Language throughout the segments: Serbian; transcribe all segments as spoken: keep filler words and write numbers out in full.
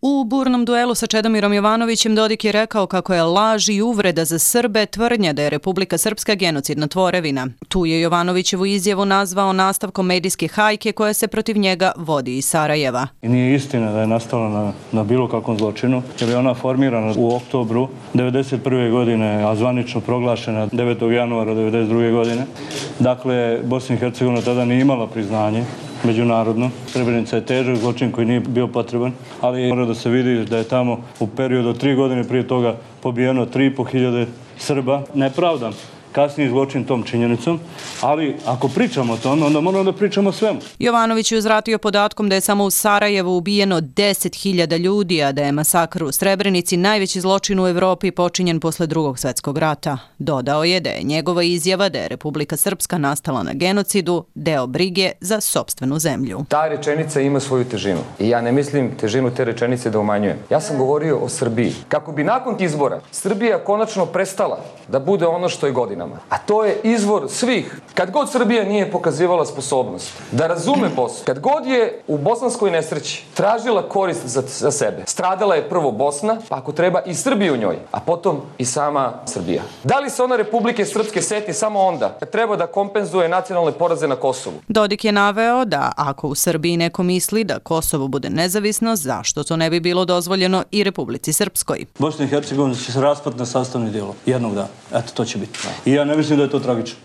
U burnom duelu sa Čedomirom Jovanovićem Dodik je rekao kako je laž i uvreda za Srbe tvrdnja da je Republika Srpska genocidna tvorevina. Tu je Jovanovićevu izjavu nazvao nastavkom medijske hajke koja se protiv njega vodi iz Sarajeva. I nije istina da je nastala na, na bilo kakvom zločinu, jer je ona formirana u oktobru devedeset prve godine, a zvanično proglašena devetog januara devedeset druge godine. Dakle, Bosna i Hercegovina tada nije imala priznanje međunarodno. Srebrenica je težak zločin koji nije bio potreban, ali mora da se vidi da je tamo u periodu od tri godine prije toga pobijeno tri i po hiljade Srba. Ne pravdam kasniji zločin tom činjenicom, ali ako pričamo o tome, onda moramo da pričamo o svemu. Jovanović je uzvratio podatkom da je samo u Sarajevu ubijeno deset hiljada ljudi, a da je masakr u Srebrenici najveći zločin u Evropi počinjen posle Drugog svjetskog rata. Dodao je da je njegova izjava da je Republika Srpska nastala na genocidu deo brige za sopstvenu zemlju. Ta rečenica ima svoju težinu i ja ne mislim težinu te rečenice da umanjujem. Ja sam govorio o Srbiji. Kako bi nakon izbora Srbija konačno prestala da bude ono što je godinama. A to je izvor svih. Kad god Srbija nije pokazivala sposobnost da razume Bosnu, kad god je u bosanskoj nesreći tražila korist za, za sebe, stradala je prvo Bosna, pa ako treba i Srbija u njoj, a potom i sama Srbija. Da li se ona Republike Srpske seti samo onda kad treba da kompenzuje nacionalne poraze na Kosovu? Dodik je naveo da ako u Srbiji neko misli da Kosovo bude nezavisno, zašto to ne bi bilo dozvoljeno i Republici Srpskoj? Bosna i Hercegovina će se raspati na sastavni dijelo jednog dana. Eto, to će biti. I ja ne mislim da je to tragično.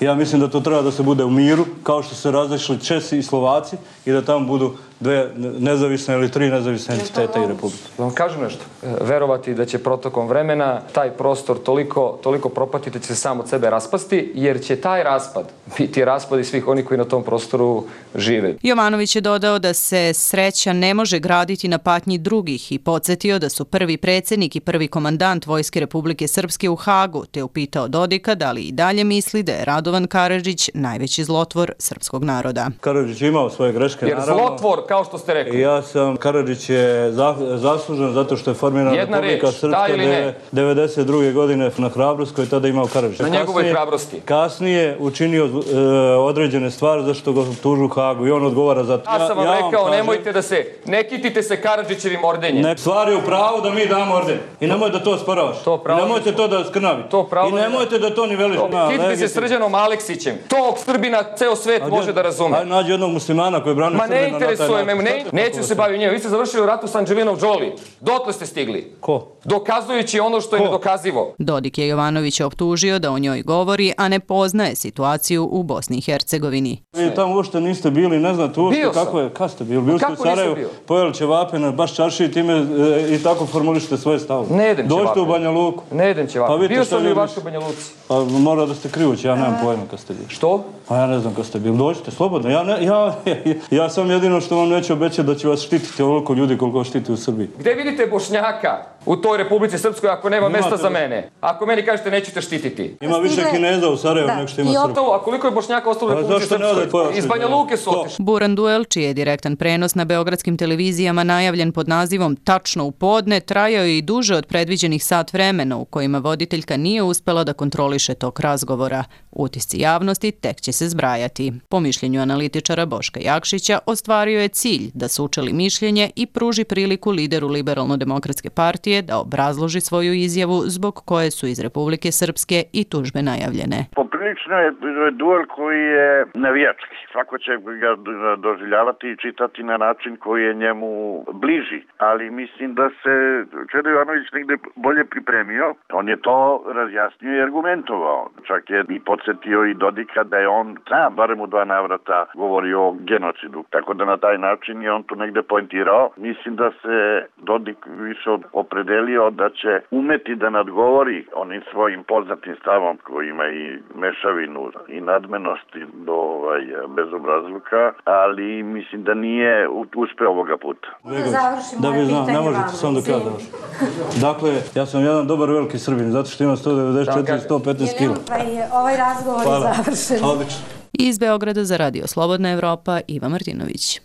Ja mislim da to treba da se bude u miru, kao što se različili Česi i Slovaci i da tamo budu dve nezavisne ili tri nezavisne entiteta i republike. Da vam kažem nešto. Verovati da će protokom vremena taj prostor toliko, toliko propatiti da će se sam od sebe raspasti, jer će taj raspad biti raspad i svih onih koji na tom prostoru žive. Jovanović je dodao da se sreća ne može graditi na patnji drugih i podsjetio da su prvi predsjednik i prvi komandant Vojske Republike Srpske u Hagu, te upitao Dodika da li i dalje misli da je Radovan Karadžić najveći zlotvor srpskog naroda. Karadžić je imao svoje greške, jer naravno. Zlotvor, kao što ste rekli. Ja sam, Karadžić je zaslužen zato što je formirana Republika Srpska devedeset druge godine na Hrabrost koji je tada imao Karadžić. Na njegovoj hrabrosti. Kasnije učinio e, određene stvari zašto ga tužu u Hagu i on odgovara za to. Ja sam vam ja, ja rekao, kažem, nemojte da se, ne kitite se Karadžićevim ordenjem. Ne, stvar je u pravu da mi damo orden. I nemojte da to sporavaš. To pravo, I nemojte to da skrnavite. To pravo, I nemojte da to niveliš. Kitite se Srđanom Aleksićem. Tog Srbina ceo svet a, može da razume. Ajde, nađi jednog muslimana koji brani Srbina na taj način. Ma ne interesuje me, ne, neću se baviti njima. Vi ste završili u ratu sa Anđelinom Jolie. Dotle ste stigli. Ko? Dokazujući ono što je nedokazivo. Dodik je Jovanovića optužio da o njoj govori, a ne poznaje situaciju u Bosni i Hercegovini. Vi tamo uopšte niste bili, ne znate uopšte kako je, kad ste bili? Bili ste u Sarajevu, pojeli ćevape na baš čarši i time e, i tako formulišete svoje stavove. Ne jedem ćevape. Dođite u Banja Luku. Ne jedem ćevape. Pa bio sam i u vašoj Banja Luci. Pa mora da ste krivući, ja nemam pojma kad ste bili. Što? Pa ja ne znam kad ste bili. Dođite, slobodno. Ja, ne, ja, ja, ja sam jedino što vam neću obećati da će vas štititi ovoliko ljudi koliko štiti u Srbiji. Gde vidite Bošnjaka u toj Republici Srpskoj ako nema mesta za mene? Ako meni kažete nećete štititi. Ima više Kineza u Sarajevu nego što ima Srba. A koliko je Bošnjaka ostalo u Republici Srpskoj? Iz Banja Luke su otišli. Buran duel, čiji je direktan prenos na beogradskim televizijama najavljen pod nazivom Tačno u podne, trajao je i duže od predviđenih sat vremena u kojima voditeljka nije uspela da kontroliše tok razgovora. Utisci javnosti tek će se zbrajati. Po mišljenju analitičara Boška Jakšića, ostvario je cilj da sučeli mišljenje i pruži priliku lideru Liberalno-demokratske partije da obrazloži svoju izjavu zbog koje su iz Republike Srpske i tužbe najavljene. Poprilično je duel koji je navijački. Svako će ga doživljavati i čitati na način koji je njemu bliži. Ali mislim da se Čedo Jovanović negde bolje pripremio. On je to razjasnio i argumentovao. Čak je i podsjetio i Dodika da je on, znam, barem u dva navrata govorio o genocidu. Tako da na taj način je on tu negde poentirao. Mislim da se Dodik više opredelio da će umeti da nadgovori onim svojim poznatim stavom koji ima i mešavinu i nadmenosti do ovaj, bezobrazluka, ali mislim da nije uspeo ovoga puta. Da bi znam, ne možete sam do kada završiti. Dakle, ja sam jedan dobar veliki Srbin, zato što imam sto devedeset četiri do sto petnaest kila. Ovaj razgovor je završen. Odlično. Iz Beograda za Radio Slobodna Evropa, Iva Martinović.